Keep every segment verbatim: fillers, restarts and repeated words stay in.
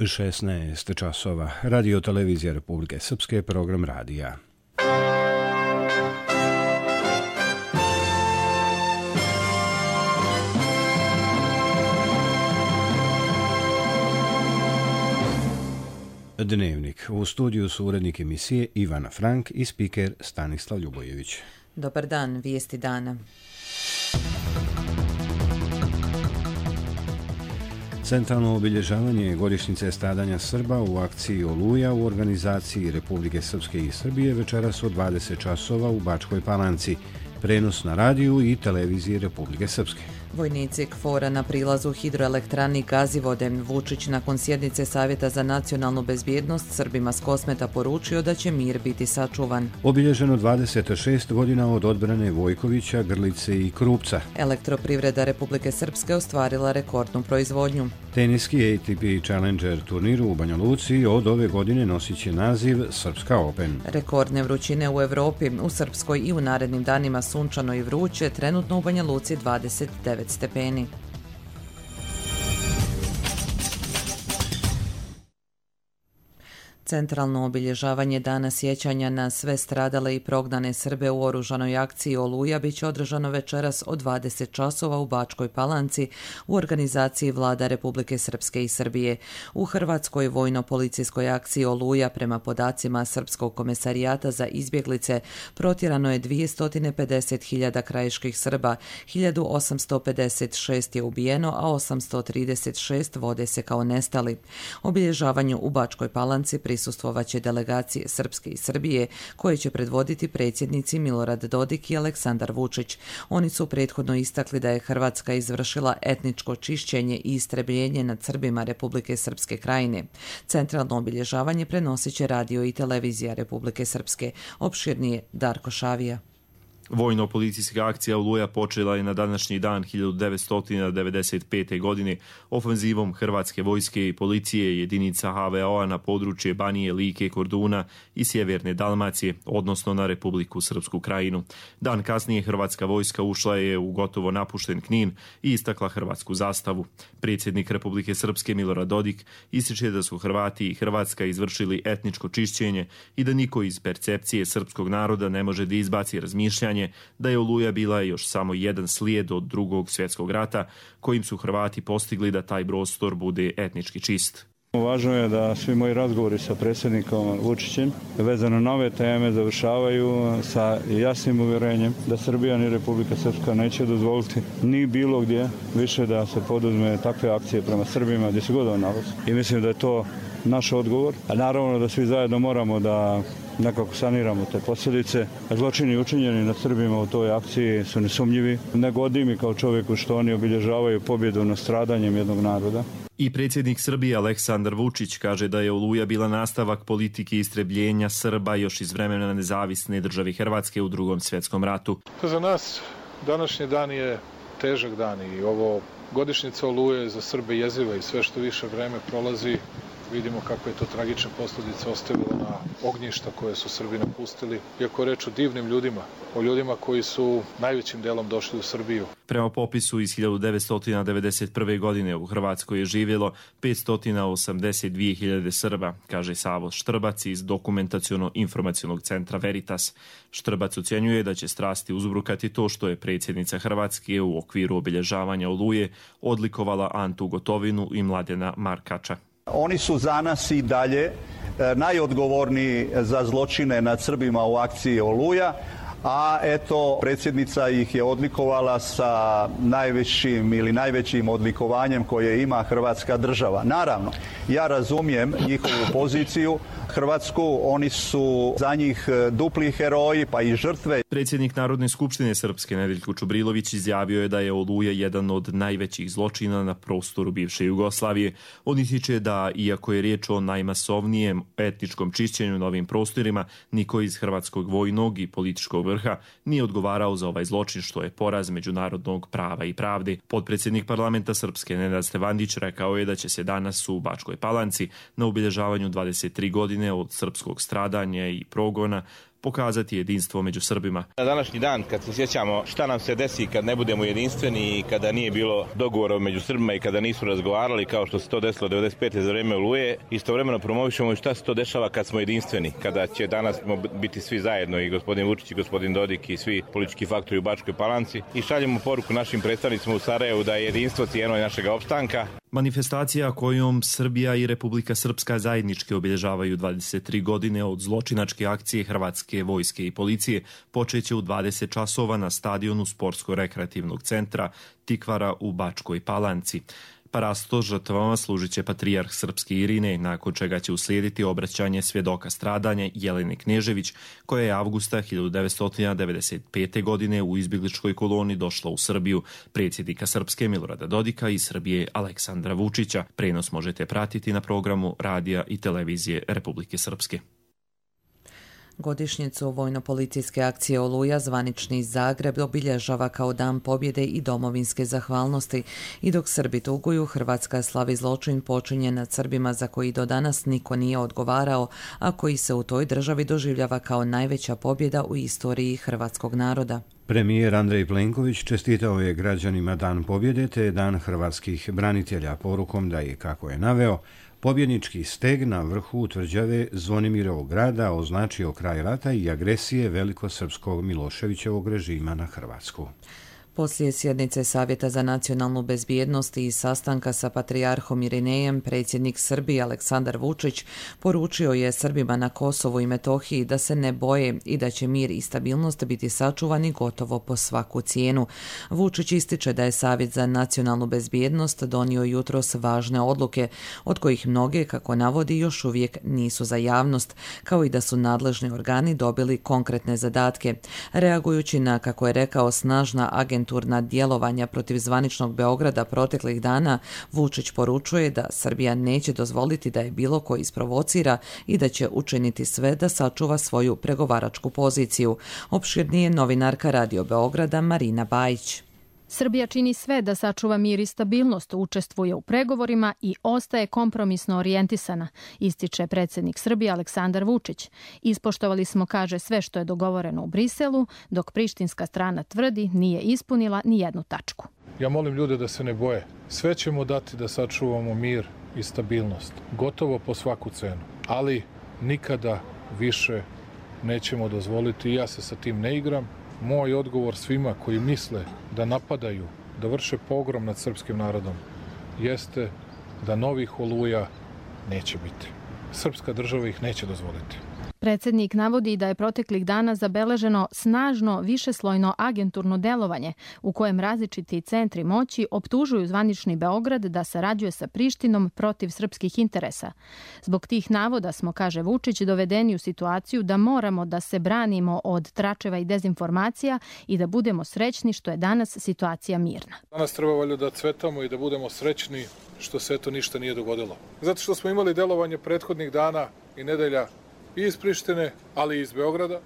šesnaest časova. Radio televizija Republike Srpske, program radija. Dnevnik. U studiju su urednik emisije Ivana Frank i spiker Stanislav Ljubojević. Dobar dan, vijesti dana. Centralno obilježavanje godišnjice stradanja Srba u akciji Oluja u organizaciji Republike Srpske i Srbije večeras od dvadeset časova u Bačkoj Palanci. Prenos na radiju i televiziji Republike Srpske. Vojnici KFOR-a na prilazu hidroelektrani Gazivode. Vučić nakon sjednice Savjeta za nacionalnu bezbjednost Srbima s Kosmeta poručio da će mir biti sačuvan. Obilježeno dvadeset šest godina od odbrane Vojkovića, Grlice i Krupca. Elektroprivreda Republike Srpske ostvarila rekordnu proizvodnju. Teniski A T P Challenger turniru u Banja Luci od ove godine nosit će naziv Srpska Open. Rekordne vrućine u Evropi, u Srpskoj i u narednim danima sunčano i vruće, trenutno u Banja Luci dvadeset devet stepeni. Centralno obilježavanje Dana sjećanja na sve stradale i prognane Srbe u oružanoj akciji Oluja biće održano večeras od dvadeset časova u Bačkoj Palanci u organizaciji Vlada Republike Srpske i Srbije. U Hrvatskoj vojno-policijskoj akciji Oluja prema podacima Srpskog komesarijata za izbjeglice protjerano je dvjesto pedeset hiljada krajiških Srba, hiljadu osamsto pedeset šest je ubijeno, a osamsto trideset šest vode se kao nestali. Obilježavanju u Bačkoj Palanci prisustvovaće delegacije Srpske i Srbije koje će predvoditi predsjednici Milorad Dodik i Aleksandar Vučić. Oni su prethodno istakli da je Hrvatska izvršila etničko čišćenje i istrebljenje nad Srbima Republike Srpske Krajine. Centralno obilježavanje prenosit će radio i televizija Republike Srpske. Opširnije Darko Šavija. Vojno-policijska akcija Oluja počela je na današnji dan hiljadu devetsto devedeset pete. godine ofenzivom Hrvatske vojske i policije jedinica H V O-a na područje Banije, Like, Korduna i sjeverne Dalmacije, odnosno na Republiku Srpsku Krajinu. Dan kasnije Hrvatska vojska ušla je u gotovo napušten Knin i istakla hrvatsku zastavu. Predsjednik Republike Srpske Milorad Dodik ističe da su Hrvati i Hrvatska izvršili etničko čišćenje i da niko iz percepcije srpskog naroda ne može da izbaci razmišljanje da je Oluja bila još samo jedan slijed od drugog svjetskog rata kojim su Hrvati postigli da taj prostor bude etnički čist. Važno je da svi moji razgovori sa predsjednikom Vučićem vezano na ove teme završavaju sa jasnim uvjerenjem da Srbija ni Republika Srpska neće dozvoliti ni bilo gdje više da se poduzme takve akcije prema Srbima gdje se god on nalazi. I mislim da je to naš odgovor. A naravno da svi zajedno moramo da nekako saniramo te posljedice. Zločini učinjeni nad Srbima u toj akciji su nesumnjivi. Ne godi mi kao čovjeku što oni obilježavaju pobjedu nad stradanjem jednog naroda. I predsjednik Srbije Aleksandar Vučić kaže da je Oluja bila nastavak politike istrebljenja Srba još iz vremena nezavisne države Hrvatske u drugom svjetskom ratu. Za nas današnji dan je težak dan i ovo godišnjica Oluje za Srbe jeziva i sve što više vreme prolazi vidimo kako je to tragične posljedice ostavilo na ognjišta koje su Srbi napustili. Iako reč o divnim ljudima, o ljudima koji su najvećim delom došli u Srbiju. Prema popisu iz hiljadu devetsto devedeset prve. godine u Hrvatskoj je živjelo petsto osamdeset dvije hiljade Srba, kaže Savo Štrbac iz dokumentaciono-informacionog centra Veritas. Štrbac ocjenjuje da će strasti uzbrukati to što je predsjednica Hrvatske u okviru obilježavanja Oluje odlikovala Antu Gotovinu i Mladena Markača. Oni su za nas i dalje najodgovorniji za zločine nad Srbima u akciji Oluja, a eto predsjednica ih je odlikovala sa najvećim ili najvećim odlikovanjem koje ima Hrvatska država. Naravno, ja razumijem njihovu poziciju Hrvatsku, oni su za njih dupli heroji pa i žrtve. Predsjednik Narodne skupštine Srpske Nedeljko Čubrilović izjavio je da je Oluja jedan od najvećih zločina na prostoru bivše Jugoslavije. On ističe da, iako je riječ o najmasovnijem etničkom čišćenju na ovim prostorima, niko iz hrvatskog vojnog i političkog vrha nije odgovarao za ovaj zločin, što je poraz međunarodnog prava i pravde. Potpredsjednik parlamenta Srpske Nenad Stevandić rekao je da će se danas u Bačkoj Palanci na obilježavanju dvadeset tri godine od srpskog stradanja i progona pokazati jedinstvo među Srbima. Na današnji dan, kad se sjećamo šta nam se desi kad ne budemo jedinstveni i kada nije bilo dogovora među Srbima i kada nisu razgovarali kao što se to desilo devedeset pete za vreme Oluje, istovremeno promovišemo i šta se to dešava kad smo jedinstveni, kada će danas biti svi zajedno, i gospodin Vučić i gospodin Dodik i svi politički faktori u Bačkoj Palanci, i šaljemo poruku našim predstavnicima u Sarajevu da je jedinstvo cijeno našeg opstanka. Manifestacija kojom Srbija i Republika Srpska zajednički obilježavaju dvadeset tri godine od zločinačke akcije Hrvatske vojske i policije počeće u dvadeset časova na stadionu Sportsko-rekreativnog centra Tikvara u Bačkoj Palanci. Parasto žrtvama služit će patrijarh srpski Irinej, nakon čega će uslijediti obraćanje svjedoka stradanja Jelene Knežević, koja je avgusta hiljadu devetsto devedeset pete. godine u izbjegličkoj koloni došla u Srbiju, predsjednika Srpske Milorada Dodika i Srbije Aleksandra Vučića. Prenos možete pratiti na programu radija i televizije Republike Srpske. Godišnjicu vojno-policijske akcije Oluja zvanični Zagreb obilježava kao dan pobjede i domovinske zahvalnosti. I dok Srbi tuguju, Hrvatska slavi zločin počinjen nad Srbima za koji do danas niko nije odgovarao, a koji se u toj državi doživljava kao najveća pobjeda u istoriji hrvatskog naroda. Premijer Andrej Plenković čestitao je građanima Dan pobjede te Dan hrvatskih branitelja porukom da je, kako je naveo, pobjednički steg na vrhu tvrđave Zvonimirovog grada označio kraj rata i agresije velikosrpskog Miloševićevog režima na Hrvatsku. Poslije sjednice Savjeta za nacionalnu bezbjednost i sastanka sa patrijarhom Irinejem, predsjednik Srbije Aleksandar Vučić poručio je Srbima na Kosovu i Metohiji da se ne boje i da će mir i stabilnost biti sačuvani gotovo po svaku cijenu. Vučić ističe da je Savjet za nacionalnu bezbjednost donio jutros važne odluke, od kojih mnoge, kako navodi, još uvijek nisu za javnost, kao i da su nadležni organi dobili konkretne zadatke. Reagujući na, kako je rekao, snažna agenturna djelovanja protiv zvaničnog Beograda proteklih dana, Vučić poručuje da Srbija neće dozvoliti da je bilo ko isprovocira i da će učiniti sve da sačuva svoju pregovaračku poziciju. Opširnije novinarka Radio Beograda Marina Bajić. Srbija čini sve da sačuva mir i stabilnost, učestvuje u pregovorima i ostaje kompromisno orijentisana, ističe predsjednik Srbije Aleksandar Vučić. Ispoštovali smo, kaže, sve što je dogovoreno u Briselu, dok prištinska strana tvrdi nije ispunila ni jednu tačku. Ja molim ljude da se ne boje. Sve ćemo dati da sačuvamo mir i stabilnost. Gotovo po svaku cenu. Ali nikada više nećemo dozvoliti, i ja se sa tim ne igram. Moj odgovor svima koji misle da napadaju, da vrše pogrom nad srpskim narodom, jeste da novih Oluja neće biti. Srpska država ih neće dozvoliti. Predsjednik navodi da je proteklih dana zabeleženo snažno višeslojno agenturno delovanje u kojem različiti centri moći optužuju zvanični Beograd da sarađuje sa Prištinom protiv srpskih interesa. Zbog tih navoda smo, kaže Vučić, dovedeni u situaciju da moramo da se branimo od tračeva i dezinformacija i da budemo srećni što je danas situacija mirna. Danas treba valjda da cvetamo i da budemo srećni što se eto ništa nije dogodilo. Zato što smo imali delovanje prethodnih dana i nedelja i iz Prištine, ali i iz Beograda,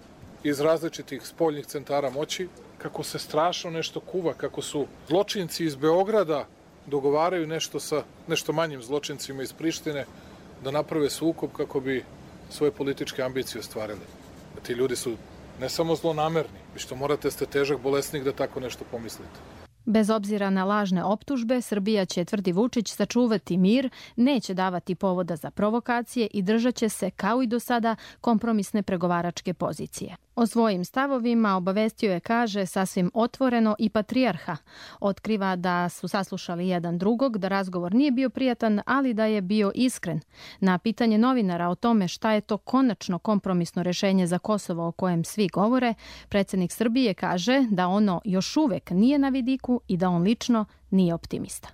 iz različitih spoljnih centara moći, kako se strašno nešto kuva, kako su zločinci iz Beograda dogovaraju nešto sa nešto manjim zločincima iz Prištine da naprave sukob kako bi svoje političke ambicije ostvarili. Ti ljudi su ne samo zlonamerni, vi što morate ste težak bolesnik da tako nešto pomislite. Bez obzira na lažne optužbe, Srbija će, tvrdi Vučić, sačuvati mir, neće davati povoda za provokacije i držat će se, kao i do sada, kompromisne pregovaračke pozicije. O svojim stavovima obavestio je, kaže, sasvim otvoreno i patrijarha. Otkriva da su saslušali jedan drugog, da razgovor nije bio prijatan, ali da je bio iskren. Na pitanje novinara o tome šta je to konačno kompromisno rješenje za Kosovo o kojem svi govore, predsjednik Srbije kaže da ono još uvek nije na vidiku i da on lično nije optimista.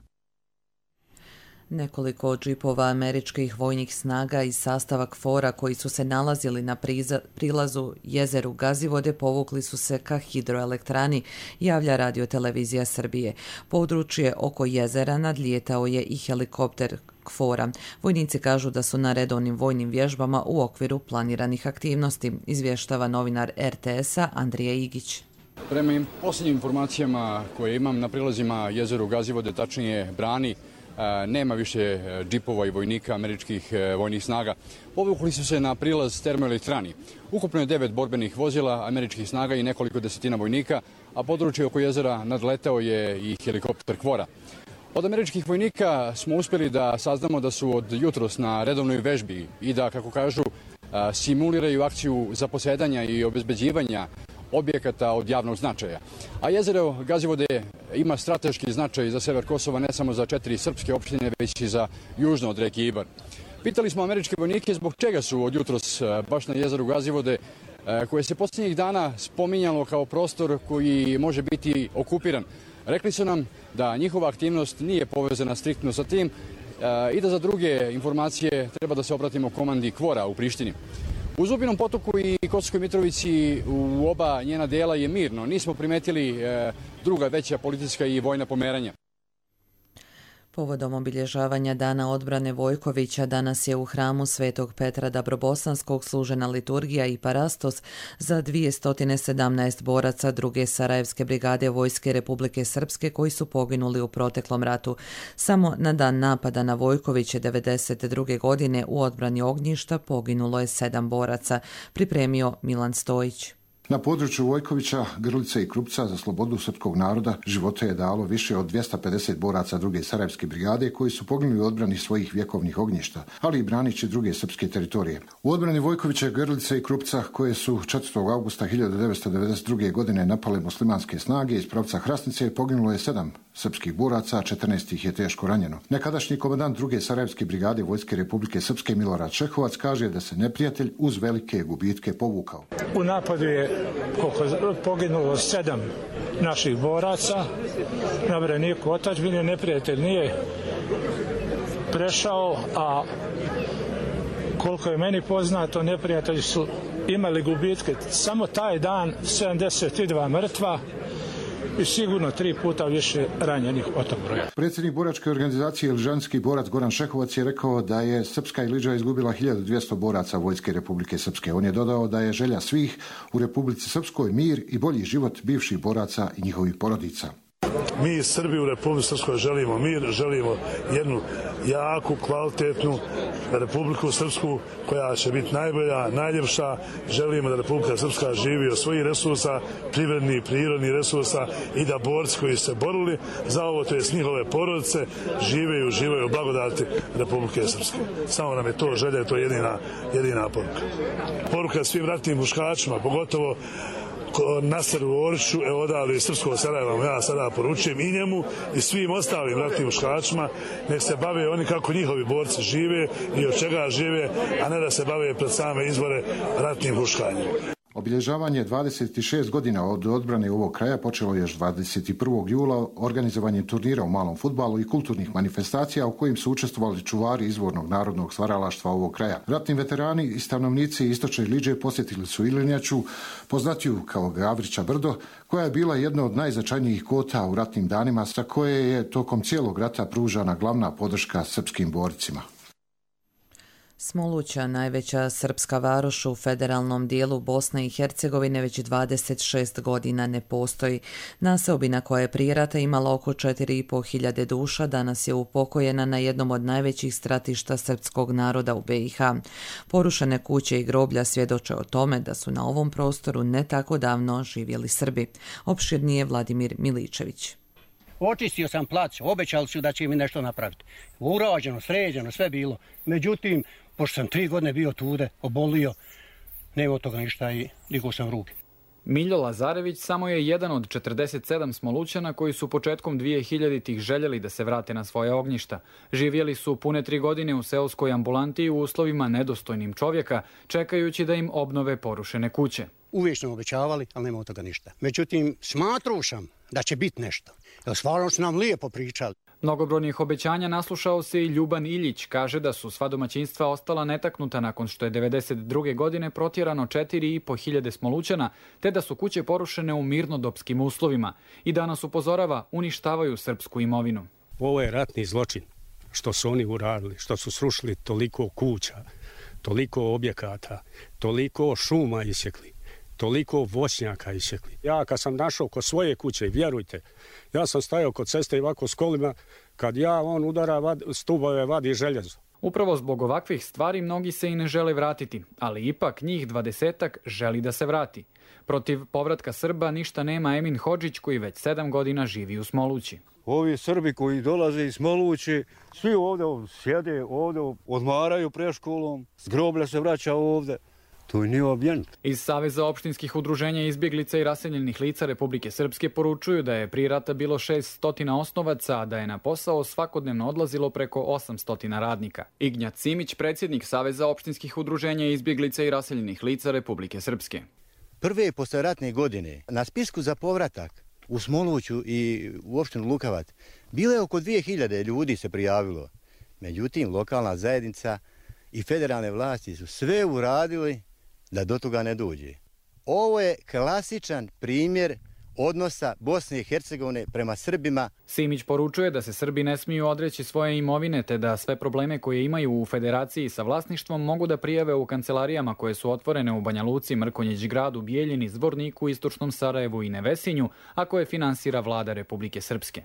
Nekoliko džipova američkih vojnih snaga iz sastava KFOR-a koji su se nalazili na priza, prilazu jezeru Gazivode povukli su se ka hidroelektrani, javlja radiotelevizija Srbije. Područje oko jezera nadlijetao je i helikopter KFOR-a. Vojnici kažu da su na redovnim vojnim vježbama u okviru planiranih aktivnosti, izvještava novinar er te es-a Andrija Igić. Prema posljednjim informacijama koje imam na prilazima jezeru Gazivode, tačnije brani, nema više džipova i vojnika američkih vojnih snaga. Povukli su se na prilaz termoelektrani. Ukupno je devet borbenih vozila američkih snaga i nekoliko desetina vojnika, a područje oko jezera nadletao je i helikopter KFOR-a. Od američkih vojnika smo uspjeli da saznamo da su od jutros na redovnoj vežbi i da, kako kažu, simuliraju akciju zaposedanja i obezbeđivanja objekata od javnog značaja. A jezero Gazivode ima strateški značaj za sever Kosova, ne samo za četiri srpske opštine, već i za južno od reke Ibar. Pitali smo američke vojnike zbog čega su od jutros baš na jezeru Gazivode, koje se posljednjih dana spominjalo kao prostor koji može biti okupiran. Rekli su nam da njihova aktivnost nije povezana striktno sa tim i da za druge informacije treba da se obratimo komandi KFOR-a u Prištini. U Zubinom Potoku i Kosovskoj Mitrovici u oba njena dela je mirno. Nismo primetili druga veća politička i vojna pomeranja. Povodom obilježavanja Dana odbrane Vojkovića danas je u hramu Svetog Petra Dabrobosanskog služena liturgija i parastos za dvjesto sedamnaest boraca druge Sarajevske brigade Vojske Republike Srpske koji su poginuli u proteklom ratu. Samo na dan napada na Vojkoviće devedeset druge godine u odbrani ognjišta poginulo je sedam boraca, pripremio Milan Stojić. Na području Vojkovića, Grlice i Krupca za slobodu srpskog naroda živote je dalo više od dvjesto pedeset boraca druge Sarajevske brigade koji su poginuli u odbrani svojih vjekovnih ognjišta, ali i branići druge srpske teritorije. U odbrani Vojkovića, Grlice i Krupca, koje su četvrtog avgusta hiljadu devetsto devedeset druge. godine napale muslimanske snage iz pravca Hrasnice, poginulo je sedam srpskih boraca, a četrnaest ih je teško ranjeno. Nekadašnji komandant druge Sarajevske brigade Vojske Republike Srpske Milorad Čehovac kaže da se neprijatelj uz velike gubitke povukao. U napadu je koliko poginulo sedam naših boraca na braniku otadžbine. Neprijatelj nije prešao, a koliko je meni poznato, neprijatelji su imali gubitke samo taj dan sedamdeset dva mrtva i sigurno tri puta više ranjenih od tog broja. Predsjednik boračke organizacije Iližanski borac Goran Šehovac je rekao da je Srpska Iliđa izgubila hiljadu dvjesto boraca Vojske Republike Srpske. On je dodao da je želja svih u Republici Srpskoj mir i bolji život bivših boraca i njihovih porodica. Mi Srbi u Republici Srpskoj želimo mir, želimo jednu jaku, kvalitetnu Republiku Srpsku koja će biti najbolja, najljepša. Želimo da Republika Srpska živi od svojih resursa, privrednih i prirodnih resursa i da borci koji se borili za ovo, to jest njihove porodice, žive i uživaju u blagodati Republike Srpske. Samo nam je to želja, to je jedina, jedina poruka. Poruka svim ratnim muškačima, pogotovo Naseru Oriću, evo odavde iz Srpskog Sarajeva, ja sada poručujem i njemu i svim ostalim ratnim muškačima, nek se bave oni kako njihovi borci žive i od čega žive, a ne da se bave pred same izbore ratnim huškanjem. Obilježavanje dvadeset šest godina od odbrane ovog kraja počelo još dvadeset prvog jula organizovanjem turnira u malom fudbalu i kulturnih manifestacija u kojim su učestvovali čuvari izvornog narodnog stvaralaštva ovog kraja. Ratni veterani i stanovnici istočne Iliđe posjetili su Ilinjaču, poznatiju kao Gavrića brdo, koja je bila jedna od najznačajnijih kota u ratnim danima, sa koje je tokom cijelog rata pružana glavna podrška srpskim borcima. Smoluća, najveća srpska varoš u federalnom dijelu Bosne i Hercegovine, već dvadeset šest godina ne postoji. Naseobina koja je prije rata imala oko četiri i po hiljade duša, danas je upokojena na jednom od najvećih stratišta srpskog naroda u be i ha. Porušene kuće i groblja svjedoče o tome da su na ovom prostoru ne tako davno živjeli Srbi. Opširnije Vladimir Miličević. Očistio sam plac, obećali su da će mi nešto napraviti. Urađeno, sređeno, sve bilo. Međutim, pošto sam tri godine bio tude, obolio, nema od toga ništa i digao sam ruke. Miljo Lazarević samo je jedan od četrdeset sedam Smolućana koji su početkom dvije hiljaditih željeli da se vrate na svoje ognjišta. Živjeli su pune tri godine u seoskoj ambulanti u uslovima nedostojnim čovjeka, čekajući da im obnove porušene kuće. Uvijek smo obećavali, ali nema od toga ništa. Međutim, smatrao sam da će biti nešto. Jer stvarno su nam lijepo pričali. Mnogobrojnih obećanja naslušao se i Ljuban Iljić. Kaže da su sva domaćinstva ostala netaknuta nakon što je devedeset druge godine protjerano četiri i po hiljade Smolućana, te da su kuće porušene u mirnodopskim uslovima. I danas upozorava, uništavaju srpsku imovinu. Ovo je ratni zločin što su oni uradili, što su srušili toliko kuća, toliko objekata, toliko šuma isjekli, toliko voćnjaka isjekli. Ja kad sam našao kod svoje kuće, vjerujte, ja sam stajao kod ceste i ovako s kolima, Kad ja on udara vad, stubove, vadi željezo. Upravo zbog ovakvih stvari mnogi se i ne žele vratiti, ali ipak njih dvadesetak želi da se vrati. Protiv povratka Srba ništa nema Emin Hodžić koji već sedam godina živi u Smolući. Ovi Srbi koji dolaze iz Smolući, svi ovdje sjede, ovdje odmaraju pred školom, s groblja se vraća ovdje. To je nije ambijent. Iz Saveza opštinskih udruženja izbjeglica i raseljenih lica Republike Srpske poručuju da je prije rata bilo šest stotina osnovaca, a da je na posao svakodnevno odlazilo preko osamsto radnika. Ignjat Simić, predsjednik Saveza opštinskih udruženja izbjeglica i raseljenih lica Republike Srpske. Prve posleratne godine na spisku za povratak u Smoluću i u opštinu Lukavac bilo je oko dvije hiljade ljudi se prijavilo. Međutim, lokalna zajednica i federalne vlasti su sve uradili da do toga ne dođe. Ovo je klasičan primjer odnosa Bosne i Hercegovine prema Srbima. Simić poručuje da se Srbi ne smiju odreći svoje imovine, te da sve probleme koje imaju u federaciji sa vlasništvom mogu da prijave u kancelarijama koje su otvorene u Banja Luci, Mrkonjić Gradu, Bijeljini, Zvorniku, Istočnom Sarajevu i Nevesinju, a koje finansira vlada Republike Srpske.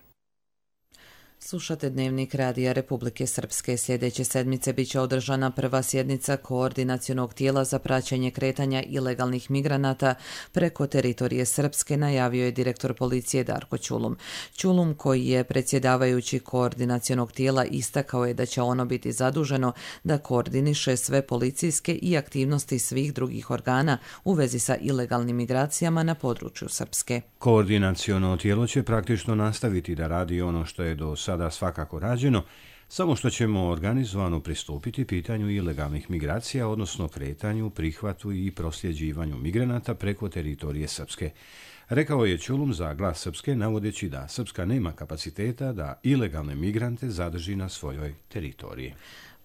Slušate Dnevnik Radija Republike Srpske. Sljedeće sedmice biće održana prva sjednica koordinacionog tijela za praćenje kretanja ilegalnih migranata preko teritorije Srpske, najavio je direktor policije Darko Ćulum. Ćulum, koji je predsjedavajući koordinacionog tijela, istakao je da će ono biti zaduženo da koordiniše sve policijske i aktivnosti svih drugih organa u vezi sa ilegalnim migracijama na području Srpske. Koordinaciono tijelo će praktično nastaviti da radi ono što je do sada svakako rađeno, samo što ćemo organizovano pristupiti pitanju ilegalnih migracija, odnosno kretanju, prihvatu i prosljeđivanju migranata preko teritorije Srpske. Rekao je Ćulum za Glas Srpske, navodeći da Srpska nema kapaciteta da ilegalne migrante zadrži na svojoj teritoriji.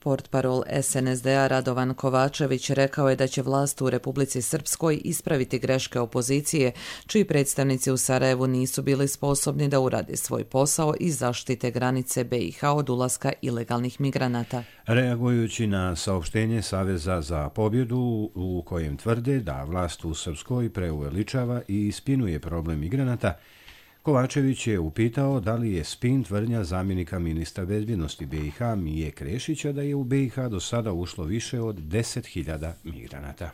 Portparol S N S D-a Radovan Kovačević rekao je da će vlast u Republici Srpskoj ispraviti greške opozicije, čiji predstavnici u Sarajevu nisu bili sposobni da urade svoj posao i zaštite granice B i H od ulaska ilegalnih migranata. Reagujući na saopštenje Saveza za pobjedu u kojem tvrde da vlast u Srpskoj preuveličava i ispinuje problem migranata, Kovačević je upitao da li je spin tvrdnja zamjenika ministra bezbjednosti B i H Mije Krešića da je u B i H do sada ušlo više od deset hiljada migranata.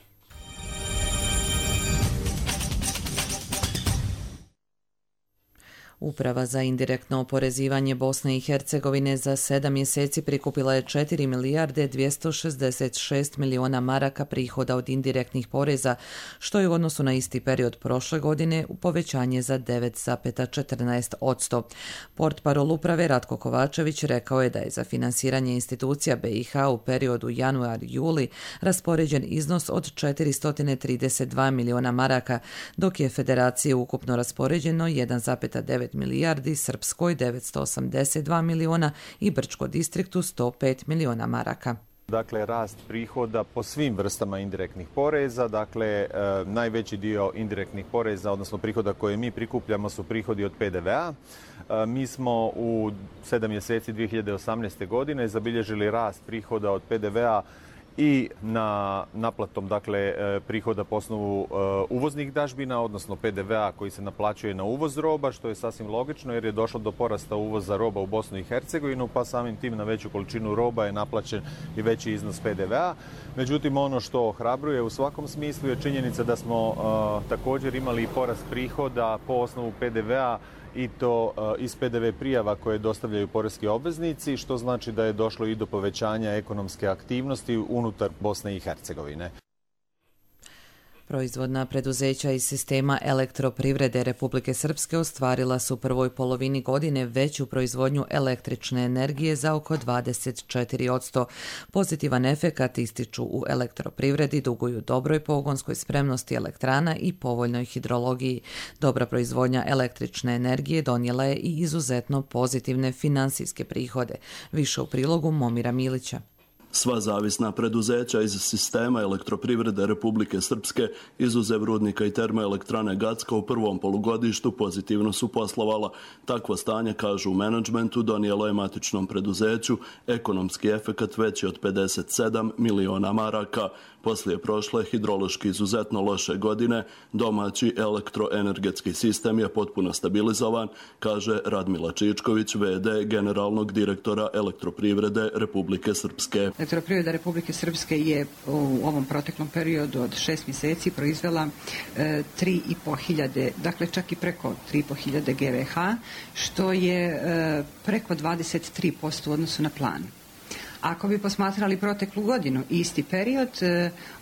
Uprava za indirektno oporezivanje Bosne i Hercegovine za sedam mjeseci prikupila je četiri milijarde dvjesto šezdeset šest miliona maraka prihoda od indirektnih poreza, što je u odnosu na isti period prošle godine u povećanje za devet zarez četrnaest posto. Portparol uprave Ratko Kovačević rekao je da je za finansiranje institucija B i H u periodu januar-juli raspoređen iznos od četiristo trideset dva miliona maraka, dok je federaciji ukupno raspoređeno jedan zarez devet milijardi, Srpskoj devetsto osamdeset dva miliona i Brčko distriktu sto pet miliona maraka. Dakle, rast prihoda po svim vrstama indirektnih poreza, dakle, e, najveći dio indirektnih poreza, odnosno prihoda koje mi prikupljamo su prihodi od P D V-a. E, mi smo u sedam mjeseci dvije hiljade osamnaeste. godine zabilježili rast prihoda od P D V-a i na naplatom, dakle, prihoda po osnovu uvoznih dažbina, odnosno P D V-a koji se naplaćuje na uvoz roba, što je sasvim logično jer je došlo do porasta uvoza roba u Bosnu i Hercegovinu, pa samim tim na veću količinu roba je naplaćen i veći iznos P D V-a. Međutim, ono što ohrabruje u svakom smislu je činjenica da smo uh, također imali i porast prihoda po osnovu P D V-a i to iz P D V prijava koje dostavljaju poreski obveznici, što znači da je došlo i do povećanja ekonomske aktivnosti unutar Bosne i Hercegovine. Proizvodna preduzeća iz sistema elektroprivrede Republike Srpske ostvarila su u prvoj polovini godine veću proizvodnju električne energije za oko dvadeset četiri posto. Pozitivan efekat ističu u elektroprivredi duguju dobroj pogonskoj spremnosti elektrana i povoljnoj hidrologiji. Dobra proizvodnja električne energije donijela je i izuzetno pozitivne finansijske prihode. Više u prilogu Momira Milića. Sva zavisna preduzeća iz sistema elektroprivrede Republike Srpske, izuzev rudnika i termoelektrane Gacko, u prvom polugodištu pozitivno su poslovala. Takvo stanje, kažu u menadžmentu, donijelo je matičnom preduzeću ekonomski efekat veći od pedeset sedam miliona maraka. Poslije prošle hidrološki izuzetno loše godine, domaći elektroenergetski sistem je potpuno stabilizovan, kaže Radmila Čičković, ve de generalnog direktora elektroprivrede Republike Srpske. Elektroprivreda Republike Srpske je u ovom proteklom periodu od šest mjeseci proizvela e, tri i po hiljade, dakle čak i preko tri i po hiljade ge ve ha, što je e, preko dvadeset tri posto u odnosu na plan. Ako bi posmatrali proteklu godinu i isti period,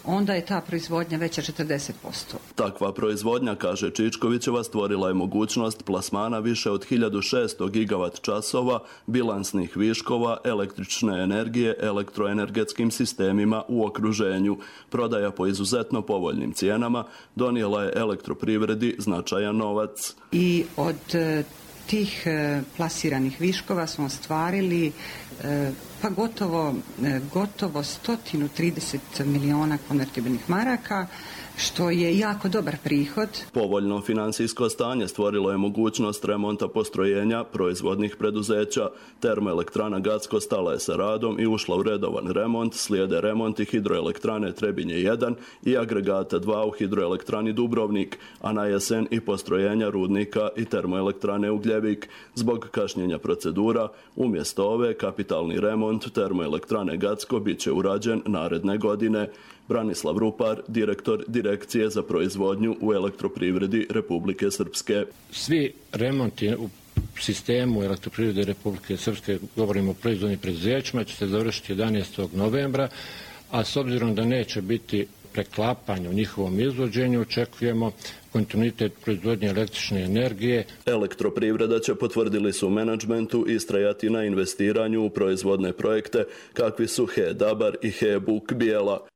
onda je ta proizvodnja veća četrdeset posto. Takva proizvodnja, kaže Čičkovićeva, stvorila je mogućnost plasmana više od hiljadu šesto gigavat časova bilansnih viškova električne energije elektroenergetskim sistemima u okruženju. Prodaja po izuzetno povoljnim cijenama donijela je elektroprivredi značajan novac. I od tih plasiranih viškova smo ostvarili pa gotovo, gotovo sto trideset miliona konvertibilnih maraka, što je jako dobar prihod. Povoljno financijsko stanje stvorilo je mogućnost remonta postrojenja proizvodnih preduzeća. Termoelektrana Gacko stala je sa radom i ušla u redovan remont, slijede remonti hidroelektrane Trebinje jedan i agregata dva u hidroelektrani Dubrovnik, a na jesen i postrojenja rudnika i termoelektrane Ugljevik. Zbog kašnjenja procedura, umjesto ove kapitalni remont termoelektrane Gacko bit će urađen naredne godine. Branislav Rupar, direktor Direkcije za proizvodnju u elektroprivredi Republike Srpske. Svi remonti u sistemu elektroprivrede Republike Srpske, govorimo o proizvodnim preduzećima, će se završiti jedanaestog novembra, a s obzirom da neće biti preklapanja u njihovom izvođenju, očekujemo kontinuitet proizvodnje električne energije. Elektroprivreda će, potvrdili su u menadžmentu, istrajati na investiranju u proizvodne projekte kakvi su H E Dabar i H E Buk Bijela.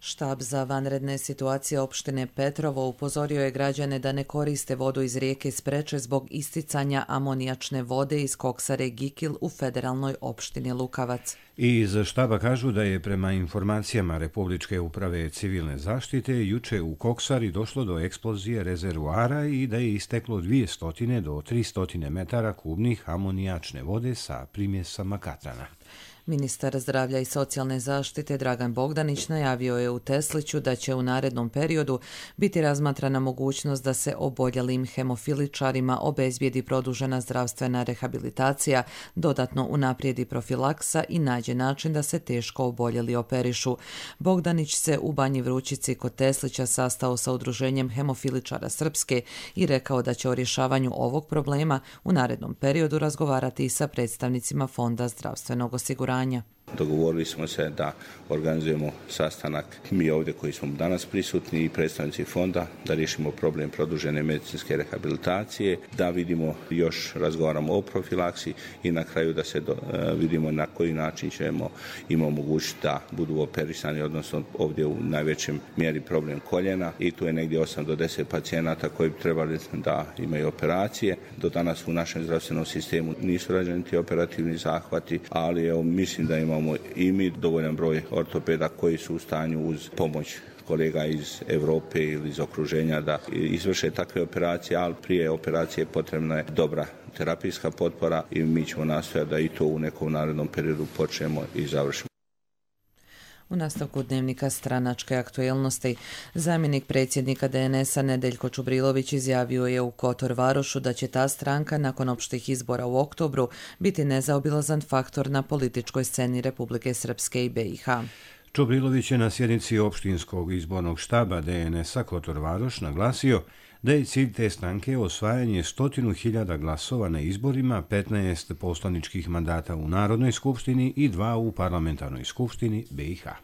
Štab za vanredne situacije opštine Petrovo upozorio je građane da ne koriste vodu iz rijeke Spreče zbog isticanja amonijačne vode iz koksare Gikil u federalnoj opštini Lukavac. I iz štaba kažu da je prema informacijama Republičke uprave civilne zaštite juče u koksari došlo do eksplozije rezervoara i da je isteklo dvjesto do tristo metara kubnih amonijačne vode sa primjesama katrana. Ministar zdravlja i socijalne zaštite Dragan Bogdanić najavio je u Tesliću da će u narednom periodu biti razmatrana mogućnost da se oboljelim hemofiličarima obezbijedi produžena zdravstvena rehabilitacija, dodatno unaprijedi profilaksa i nađe način da se teško oboljeli operišu. Bogdanić se u Banji Vrućici kod Teslića sastao sa udruženjem hemofiličara Srpske i rekao da će o rješavanju ovog problema u narednom periodu razgovarati i sa predstavnicima Fonda zdravstvenog osiguranja. Dogovorili smo se da organizujemo sastanak mi ovdje koji smo danas prisutni i predstavnici fonda, da riješimo problem produžene medicinske rehabilitacije, da vidimo, još razgovaramo o profilaksiji i na kraju da se do, vidimo na koji način ćemo im omogućiti da budu operisani, odnosno ovdje u najvećem mjeri problem koljena i tu je negdje osam do deset pacijenata koji bi trebali da imaju operacije. Do danas u našem zdravstvenom sistemu nisu rađeni ti operativni zahvati, ali evo, mislim da imamo i mi dovoljan broj ortopeda koji su u stanju uz pomoć kolega iz Europe ili iz okruženja da izvrše takve operacije, ali prije operacije potrebna je dobra terapijska potpora i mi ćemo nastojati da i to u nekom narednom periodu počnemo i završimo. U nastavku dnevnika stranačke aktuelnosti, zamjenik predsjednika de en es a Nedeljko Čubrilović izjavio je u Kotor Varošu da će ta stranka nakon opštih izbora u oktobru biti nezaobilazan faktor na političkoj sceni Republike Srpske i be i ha. Čubrilović je na sjednici opštinskog izbornog štaba de en es a Kotor Varoš naglasio da je cilj te stranke osvajanje stotinu hiljada glasova na izborima, petnaest poslaničkih mandata u Narodnoj skupštini i dva u parlamentarnoj skupštini be i ha.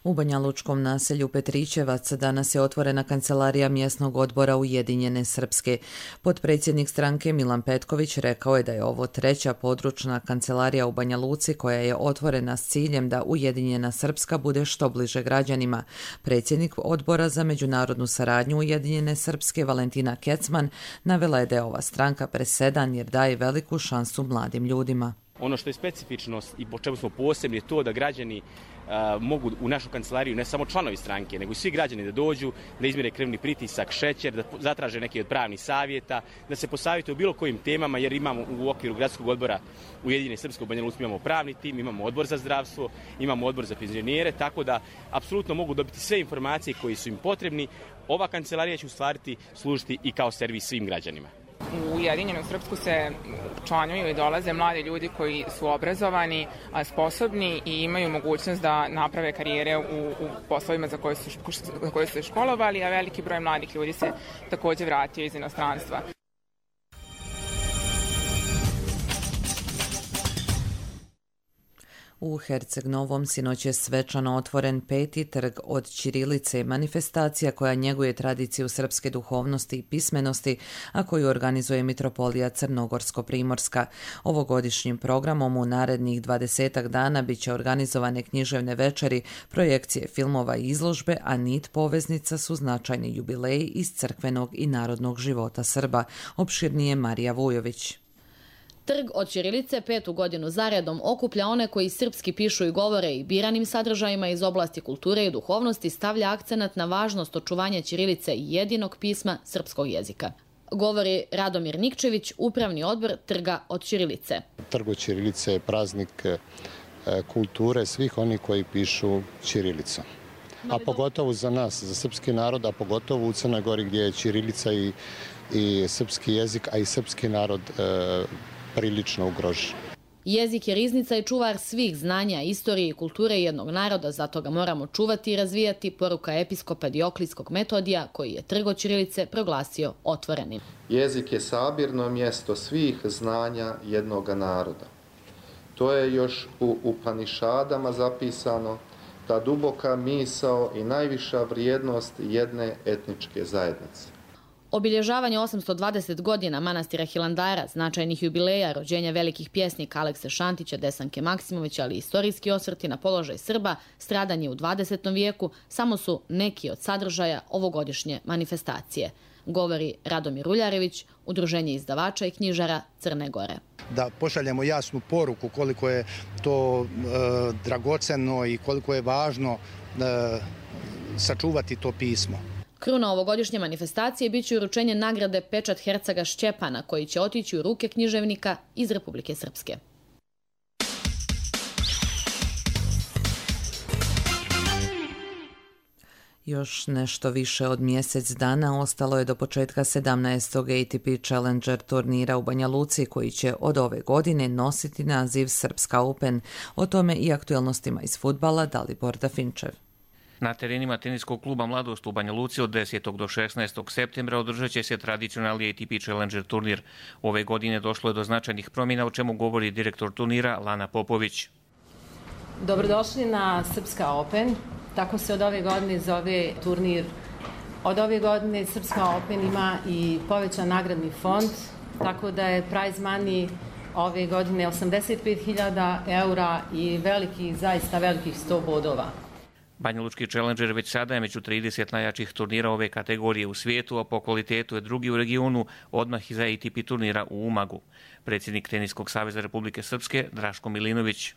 U banjalučkom naselju Petrićevac danas je otvorena kancelarija mjesnog odbora Ujedinjene Srpske. Potpredsjednik stranke Milan Petković rekao je da je ovo treća područna kancelarija u Banja Luci koja je otvorena s ciljem da Ujedinjena Srpska bude što bliže građanima. Predsjednik odbora za međunarodnu saradnju Ujedinjene Srpske Valentina Kecman navela je da je ova stranka presedan jer daje veliku šansu mladim ljudima. Ono što je specifičnost i po čemu smo posebni je to da građani a, mogu u našu kancelariju, ne samo članovi stranke, nego i svi građani da dođu, da izmjere krvni pritisak, šećer, da zatraže neki od pravnih savjeta, da se posavjetuju o bilo kojim temama, jer imamo u okviru gradskog odbora Ujedinjene Srpske u Banja Luci imamo pravni tim, imamo odbor za zdravstvo, imamo odbor za penzionere, tako da apsolutno mogu dobiti sve informacije koje su im potrebni. Ova kancelarija će u stvari služiti i kao servis svim građanima. U Ujedinjenu Srpsku se članuju i dolaze mladi ljudi koji su obrazovani, sposobni i imaju mogućnost da naprave karijere u, u poslovima za koje su, za koje su se školovali, a veliki broj mladih ljudi se također vratio iz inostranstva. U Herceg Novom sinoć je svečano otvoren peti trg od ćirilice, manifestacija koja njeguje tradiciju srpske duhovnosti i pismenosti, a koju organizuje Mitropolija Crnogorsko-Primorska. Ovogodišnjim programom u narednih dvadesetak dana bit će organizovane književne večeri, projekcije filmova i izložbe, a nit poveznica su značajni jubileji iz crkvenog i narodnog života Srba. Opširnije Marija Vujović. Trg od ćirilice petu godinu zaredom okuplja one koji srpski pišu i govore i biranim sadržajima iz oblasti kulture i duhovnosti stavlja akcenat na važnost očuvanja ćirilice i jedinog pisma srpskog jezika. Govori Radomir Nikčević, upravni odbor Trga od ćirilice. Trg od ćirilice je praznik kulture svih onih koji pišu ćirilicom. A pogotovo za nas, za srpski narod, a pogotovo u Crnoj Gori gdje je ćirilica i, i srpski jezik, a i srpski narod e, prilično ugrožen. Jezik je riznica i čuvar svih znanja, istorije i kulture jednog naroda, zato ga moramo čuvati i razvijati, poruka episkopa Dioklijskog Metodija, koji je trg od ćirilice proglasio otvorenim. Jezik je sabirno mjesto svih znanja jednog naroda. To je još u Upanišadama zapisano, ta duboka misao i najviša vrijednost jedne etničke zajednice. Obilježavanje osamsto dvadeset godina manastira Hilandara, značajnih jubileja, rođenja velikih pjesnika Alekse Šantića, Desanke Maksimovića, ali i istorijski osvrti na položaj Srba, stradanje u dvadesetom vijeku, samo su neki od sadržaja ovogodišnje manifestacije, govori Radomir Uljarević, Udruženje izdavača i knjižara Crne Gore. Da pošaljemo jasnu poruku koliko je to e, dragoceno i koliko je važno e, sačuvati to pismo. Kruna ovogodišnje manifestacije bit će uručenje nagrade Pečat Hercega Šćepana, koji će otići u ruke književnika iz Republike Srpske. Još nešto više od mjesec dana ostalo je do početka sedamnaestog A T P Challenger turnira u Banja Luci, koji će od ove godine nositi naziv Srpska Open. O tome i aktualnostima iz fudbala Dalibor Dafinčev. Na terenima teniskog kluba Mladost u Banja Luci od desetog do šesnaestog septembra održat će se tradicionalni A T P Challenger turnir. Ove godine došlo je do značajnih promjena, o čemu govori direktor turnira Lana Popović. Dobrodošli na Srpska Open. Tako se od ove godine zove turnir. Od ove godine Srpska Open ima i povećan nagradni fond, tako da je prize money ove godine osamdeset pet hiljada eura i veliki, zaista velikih sto bodova. Banja Lučki Challenger već sada je među trideset najjačih turnira ove kategorije u svijetu, a po kvalitetu je drugi u regionu, odmah iza A T P turnira u Umagu. Predsjednik Teniskog saveza Republike Srpske Draško Milinović.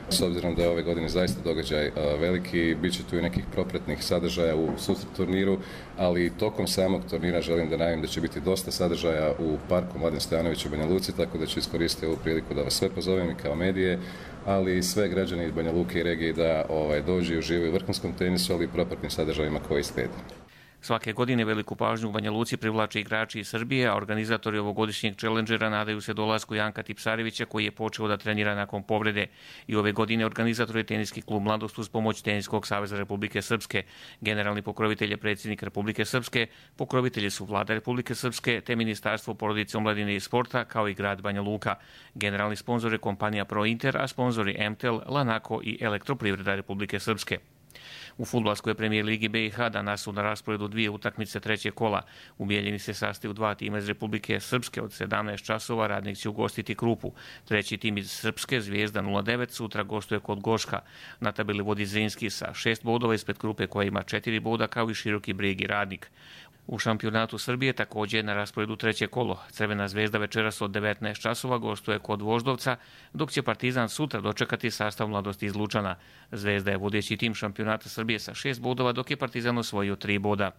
S obzirom da je ove godine zaista događaj veliki, bit će tu i nekih propratnih sadržaja u susret turniru, ali tokom samog turnira želim da najavim da će biti dosta sadržaja u parku Mladen Stojanović u Banja Luci, tako da ću iskoristiti ovu priliku da vas sve pozovem i kao medije, ali i sve građani iz Banja Luke i regije da ovaj, dođu i uživaju u vrhunskom tenisu, ali i propratnim sadržajima koji slijede. Svake godine veliku pažnju u Banja Luci privlače igrači iz Srbije, a organizatori ovogodišnjeg Challengera nadaju se dolasku Janka Tipsarevića, koji je počeo da trenira nakon povrede. I ove godine organizator je teniski klub Mladost uz pomoć Teniskog saveza Republike Srpske. Generalni pokrovitelj je predsjednik Republike Srpske, pokrovitelji su vlada Republike Srpske te Ministarstvo porodice, omladine i sporta, kao i grad Banja Luka. Generalni sponzor je kompanija Prointer, a sponzori M T L, Lanako i Elektroprivreda Republike Srpske. U fudbalskoj premijer ligi B i H danas su na rasporedu dvije utakmice trećeg kola. U Bijeljini se sastaju dva tima iz Republike Srpske od sedamnaest časova, Radnik će ugostiti Krupu. Treći tim iz Srpske, Zvijezda nula devet, sutra gostuje kod Goška. Na tabeli vodi Zrinski sa šest bodova ispred Krupe koja ima četiri boda, kao i Široki Brijeg i Radnik. U šampionatu Srbije također je na rasporedu treće kolo. Crvena zvezda večeras od devetnaest časova gostuje kod Voždovca, dok će Partizan sutra dočekati sastav Mladosti iz Lučana. Zvezda je vodeći tim šampionata Srbije sa šest bodova, dok je Partizan osvojio tri boda.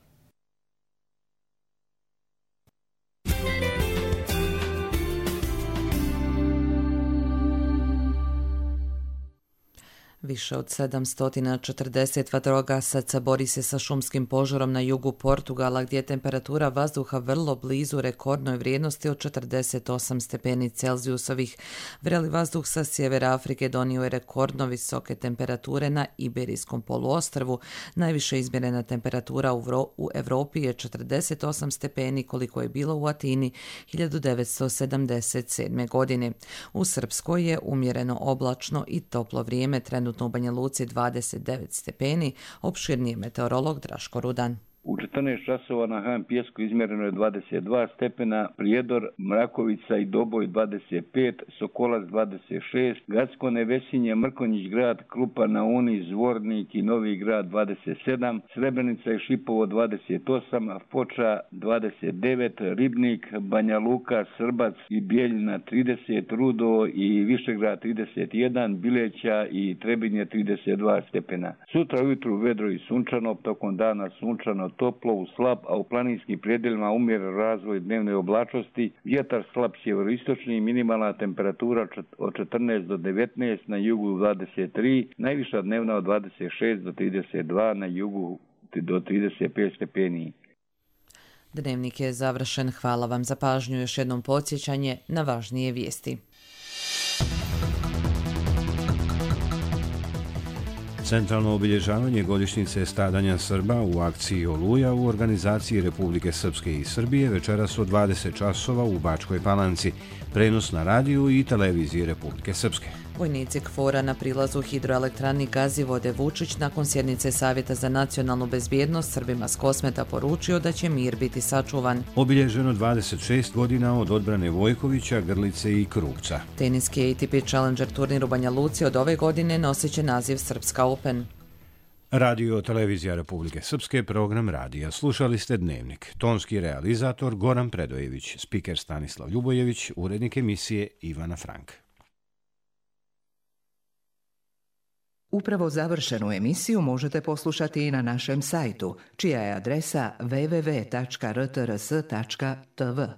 Više od sedamsto četrdeset vatrogasaca bori se sa šumskim požarom na jugu Portugala, gdje je temperatura vazduha vrlo blizu rekordnoj vrijednosti od četrdeset osam stepeni Celzijusovih. Vreli vazduh sa sjevera Afrike donio je rekordno visoke temperature na Iberijskom poluostrvu. Najviše izmjerena temperatura u Evropi je četrdeset osam stepeni, koliko je bilo u Atini hiljadu devetsto sedamdeset sedme. godine. U Srpskoj je umjereno oblačno i toplo vrijeme, trenutno u Banja Luci dvadeset devet stepeni, opširniji meteorolog Draško Rudan. U četrnaest časova na Han Pjesku izmjereno je dvadeset dva stepena, Prijedor, Mrakovica i Doboj dvadeset pet, Sokolac dvadeset šest, Gacko, Nevesinje, Mrkonjić grad, Krupa na Uni, Zvornik i Novi grad dvadeset sedam, Srebrenica i Šipovo dvadeset osam, Foča dvadeset devet, Ribnik, Banja Luka, Srbac i Bijeljina trideset, Rudo i Višegrad trideset jedan, Bileća i Trebinje trideset dva stepena. Sutra ujutru vedro i sunčano, tokom dana sunčano, toplo u slab, a u planinskim predjelima umjeren razvoj dnevne oblačnosti, vjetar slab sjeveroistočni, minimalna temperatura od četrnaest do devetnaest, na jugu dvadeset tri, najviša dnevna od dvadeset šest do trideset dva, na jugu do trideset pet stepeni. Dnevnik je završen. Hvala vam za pažnju. Još jednom podsjećanje na važnije vijesti. Centralno obilježavanje godišnjice stradanja Srba u akciji Oluja u organizaciji Republike Srpske i Srbije večeras od dvadeset časova u Bačkoj Palanci. Prenos na radiju i televiziji Republike Srpske. Vojnici KFOR-a na prilazu hidroelektrani Gazivode Vučić nakon sjednice Savjeta za nacionalnu bezbjednost Srbima s Kosmeta poručio da će mir biti sačuvan. Obilježeno dvadeset šest godina od odbrane Vojkovića, Grlice i Krupca. Teniski A T P Challenger turnir u Banja Luci od ove godine nosit će naziv Srpska Open. Radio Televizija Republike Srpske, program radija. Slušali ste Dnevnik. Tonski realizator Goran Predojević, spiker Stanislav Ljubojević, urednik emisije Ivana Frank. Upravo završenu emisiju možete poslušati i na našem sajtu, čija je adresa w w w tačka r t r s tačka t v.